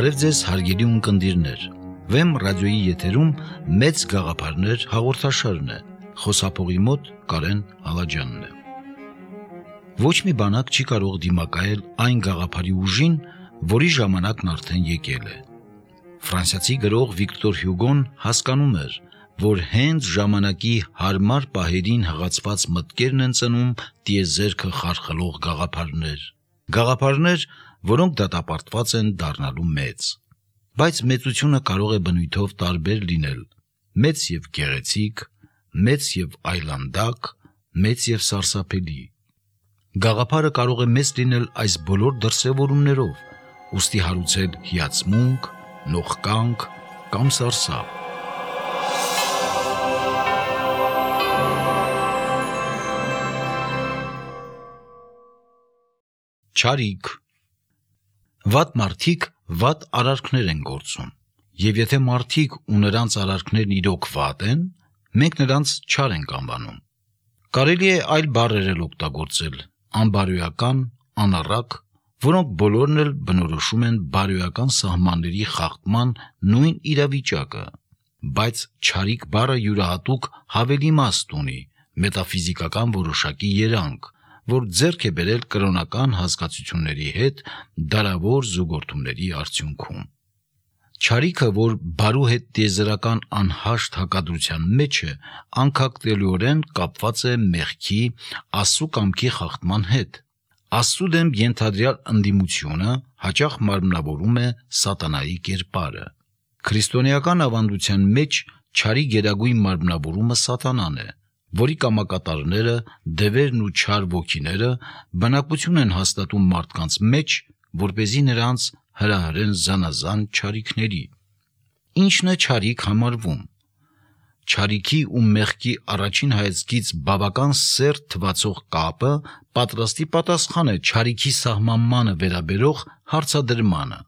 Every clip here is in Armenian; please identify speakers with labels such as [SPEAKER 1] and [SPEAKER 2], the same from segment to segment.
[SPEAKER 1] Բարև ձեզ հարգելի ունկնդիրներ, Վեմ ռադիոյի եթերում մեծ գաղափարներ հաղորդաշարն է, խոսափողի մոտ Կարեն Ալաջյանն է։ Ոչ մի բանակ չի կարող դիմակայել այն գաղափարի ուժին, որի ժամանակն արդեն եկել է։ Ֆրանսիացի գրող Վիկտոր Հյուգոն հասկանում էր, որ հենց ժամանակի հարմար պահերին հղացված մտքերն են ծնում տիեզերքը խարխլող գաղափարներ, որոնք դատապարտված են դառնալու մեծ։ Բայց մեծությունը կարող է բնույթով տարբեր լինել՝ մեծ եւ գեղեցիկ, մեծ եւ այլանդակ, մեծ եւ սարսափելի։ Գաղափարը կարող է մեծ լինել այս բոլոր դրսևորումներով, ուստի հարուցել հիացմունք, նողկանք կամ սարսափ։ Չարիք։ Վատ մարդիկ վատ արարքներ են գործում, եւ եթե մարդիկ ու նրանց արարքներն իրոք վատ են, մենք նրանց չար ենք անվանում։ Կարելի է այլ բառեր էլ օգտագործել՝ անբարոյական, անառակ, որոնք բոլորն էլ բնորոշում են բարոյական սահմանների խախտման նույն իրավիճակը, բայց չարիք բառը յուրահատուկ հավելի իմաստ ունի, մետաֆիզիկական որոշակի երանգ, որ ձեռք է բերել կրոնական հասկացությունների հետ դարավոր զուգորդումների արդյունքում։ Չարիքը, որ բարու հետ տիեզերական անհաշտ հակադրության մեջ է, անկախտելիորեն կապված է մեղքի, Աստծու կամքի խախտման հետ։ Աստծու դեմ ենթադրյալ ընդդիմությունը հաճախ մարմնավորում է սատանայի կերպարը։ Քրիստոնեական ավանդության մեջ չարի գերագույն մարմնավորումը սատանան է, որի կամակատարները, դևերն ու չար ոգիները բնակություն են հաստատում մարդկանց մեջ, որպեսզի նրանց հրահրեն զանազան չարիքների։ Ինչն է չարիք համարվում։ Չարիքի ու մեղքի առաջին հայացքից բավական սերտ թվացող կապը պատրաստի պատասխան է չարիքի սահմանմանը վերաբերող հարցադրմանը։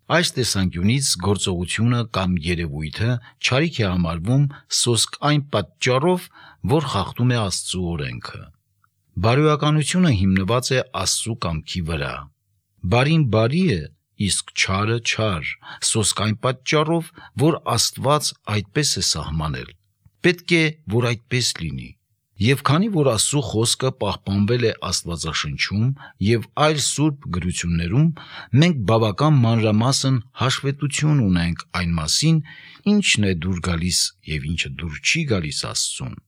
[SPEAKER 1] Այս տեսանկյունից գործողությունը կամ երևույթը չարիք է համարվում սոսկ այն պատճառով, որ խախտում է Աստծու օրենքը։ Բարոյականությունը հիմնված է Աստծու կամքի վրա։ Բարին բարի է, իսկ չարը չար, սոսկ այն պատճառով, որ Աստված այդպես է սահմանել։ Պետք է, որ այդպես լինի։ Եվ քանի որ Աստծու խոսքը պահպանվել է Աստվածաշնչում եւ այլ սուրբ գրություններում, մենք բավական մանրամասն հաշվետվություն ունենք այն մասին, ինչն է դուր գալիս եւ ինչը դուր չի գալիս Աստծուն։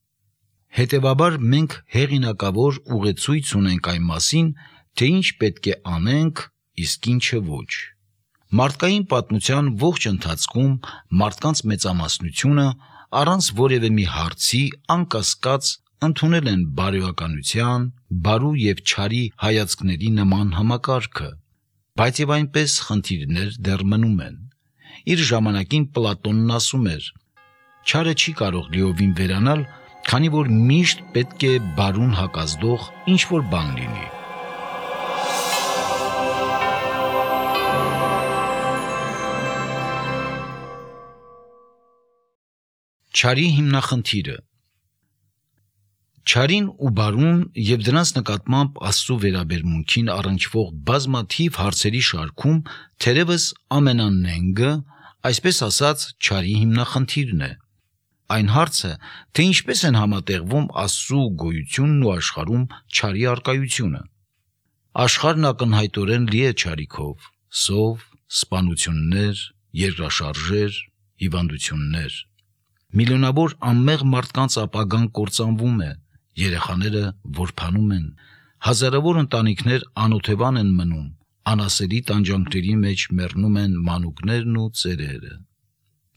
[SPEAKER 1] Հետևաբար մենք հեղինակավոր ուղեցույց ունենք այն մասին, թե ինչ պետք է անենք, իսկ ինչը ոչ։ Մարդկային պատմության ողջ ընթացքում մարդկանց մեծամասնությունը առանց որևէ մի հարցի անկասկած ընդունել են բարոյականության, բարու եւ չարի հայացքների նման համակարգը, բայց եւ այնպես խնդիրներ դեռ մնում են։ Իր ժամանակին Պլատոնն ասում էր. չարը չի կարող լիովին վերանալ, քանի որ միշտ պետք է բարուն հակազդող ինչ-որ բան լինի։ Չարի հիմնախնդիրը։ Չարին ու բարուն եւ դրանց նկատմամբ Աստծու վերաբերմունքին առնչվող բազմաթիվ հարցերի շարքում թերևս ամենանենգը, այսպես ասած, չարի հիմնախնդիրն է։ Այն հարցը, թե ինչպես են համատեղվում Աստծու գոյությունն ու աշխարհում չարի առկայությունը։ Աշխարհն ակնհայտորեն լի է չարիքով՝ սով, սպանություններ, երկրաշարժեր, հիվանդություններ։ Միլիոնավոր անմեղ մարդկանց ապագան կործանվում է, երեխաները որբանում են, հազարավոր ընտանիքներ անօթևան են մնում, անասելի տանջանքների մեջ մեռնում են մանուկներն ու ծերերը։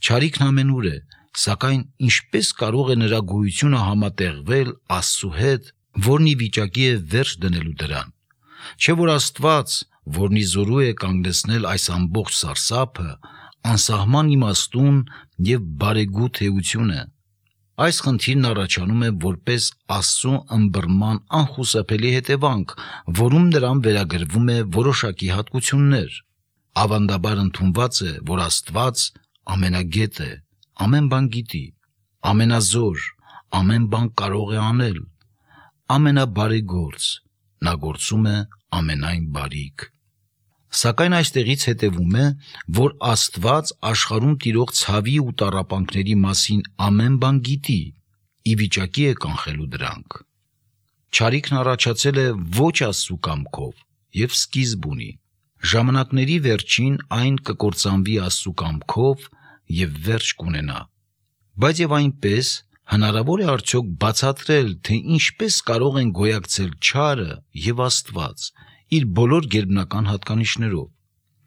[SPEAKER 1] Չարիքն ամենուր է, սակայն ինչպես կարող է նրա գոյությունը համատեղվել Աստծու հետ, որն ի վիճակի է վերջ դնելու դրան։ Չէ՞ որ Աստված, որն ի զորու է կանգնեցնել այս ամբողջ սարսափը, անսահման իմաստուն եւ բարեգութ էություն է։ Այս խնդիրն առաջանում է որպես Աստծու ըմբռնման անխուսափելի հետևանք, որում նրան վերագրվում է որոշակի հատկություններ։ Ավանդաբար ընդունված է, որ Աստված ամենագետ է, ամեն բան գիտի, ամենազոր, ամեն բան կարող է անել, ամենաբարեգործ, նա գործում է ամենայն բարիք։ Սակայն այստեղից հետևում է, որ Աստված աշխարհում տիրող ցավի ու տառապանքների մասին ամեն բան գիտի, ի վիճակի է կանխելու դրանք։ Չարիքն առաջացել է ոչ Աստծու կամքով եւ սկիզբ ունի։ Ժամանակների վերջին այն կկործանվի Աստծու կամքով եւ վերջ կունենա։ Բայց եւ այնպես հնարավոր է արդյոք բացատրել, թե ինչպես կարող են գոյակցել չարը եւ Աստված իր բոլոր գերբնական հատկանիշներով։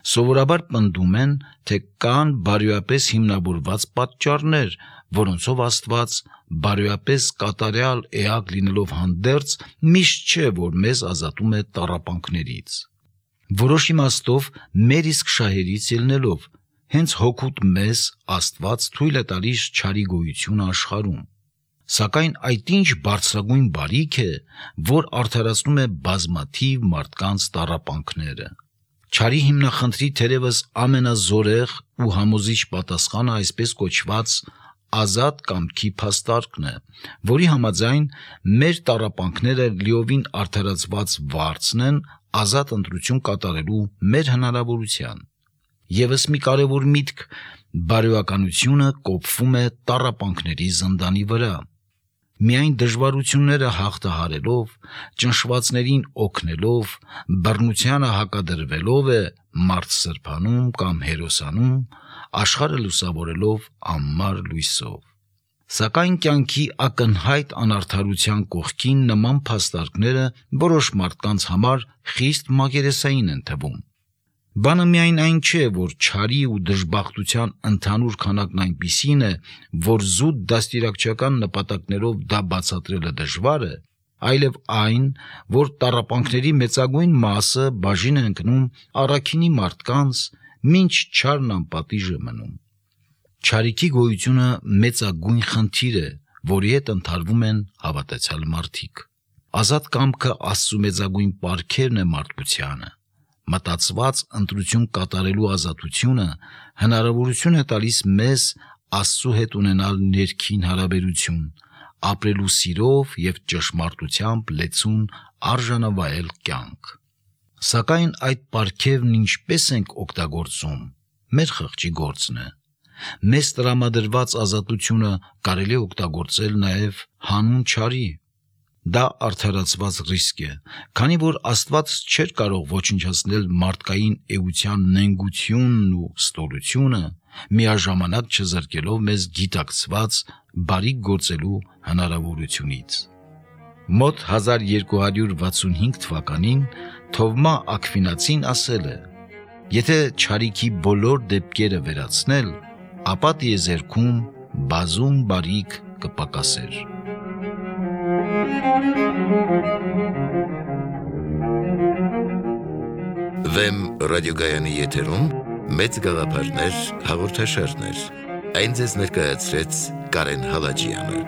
[SPEAKER 1] Սովորաբար պնդում են, թե կան բարոյապես հիմնավորված պատճառներ, որոնցով Աստված բարոյապես կատարյալ էակ լինելով հանդերձ միշտ չէ, որ մեզ ազատում է տառապանքներից։ Որոշ իմաստով մեր իսկ շահերից ելնելով, հենց հոգուտ մեզ Աստված թույլ է տալիս չարի գոյությունը աշխարհում։ Սակայն այդ ինչ բարձրագույն բարիք է, որ արդարացնում է բազմաթիվ մարդկանց տառապանքները։ Չարի հիմնախնդրի թերևս ամենազորեղ ու համոզիչ պատասխանը այսպես կոչված ազատ կամքի փաստարկն է, որի համաձայն մեր տառապանքները լիովին արդարացված վարձն են ազատ ընտրություն կատարելու մեր հնարավորության։ Եվս մի կարևոր միտք՝ բարոյականությունը կոփվում է տառապանքների զնդանի վրա։ Միայն դժվարությունները հաղթահարելով, ճնշվածներին օգնելով, բռնությանը հակադրվելով է մարդ սրբանում կամ հերոսանում, աշխարհը լուսավորելով անմար լույսով։ Սակայն կյանքի ակնհայտ անարդարության կողքին նման փաստարկները որոշ մարդկանց համար խիստ մակերեսային են թվում։ Բանը միայն այն չէ, որ չարի ու դժբախտության ընդհանուր քանակն այնպիսին է, որ զուտ դաստիարակչական նպատակներով դա բացատրելը դժվար է, այլև այն, որ տառապանքների մեծագույն մասը բաժին է ընկնում առաքինի մարդկանց, մինչ չարն անպատիժ է մնում։ Չարիքի գոյությունը մեծագույն խնդիր է, որի հետ ընթարվում են հավատացյալ մարդիկ։ Ազատ կամքը Աստծու մեծագույն պարգևն է մարդկությանը։ Մտածված ընտրություն կատարելու ազատությունը հնարավորություն է տալիս մեզ Աստծու հետ ունենալ ներքին հարաբերություն, ապրելու սիրով եւ ճշմարտությամբ լեցուն արժանավայել կյանք։ Սակայն այդ պարգևն ինչպես ենք օգտագործում, մեր խղճի գործն է։ Մեզ տրամադրված ազատությունը կարելի է օգտագործել նաեւ հանուն չարի։ Դա արդարացված ռիսկ է, քանի որ Աստված չէր կարող ոչնչացնել մարդկային էության նենգությունն ու ստորությունը, միաժամանակ չզրկելով մեզ գիտակցված բարիք գործելու հնարավորությունից։ Մոտ 1265 թվականին Թովմա Աքվինացին ասել է. «Եթե չարիքի բոլոր դեպքերը վերացնել, ապա տիեզերքում բազում բարիք կպակասեր»։
[SPEAKER 2] Վեմ ռադիոգայանի եթերում մեծ գաղափարներ հաղորդաշարներ։ Այն ձեզ ներկայացրեց Կարեն Հալաջյանը։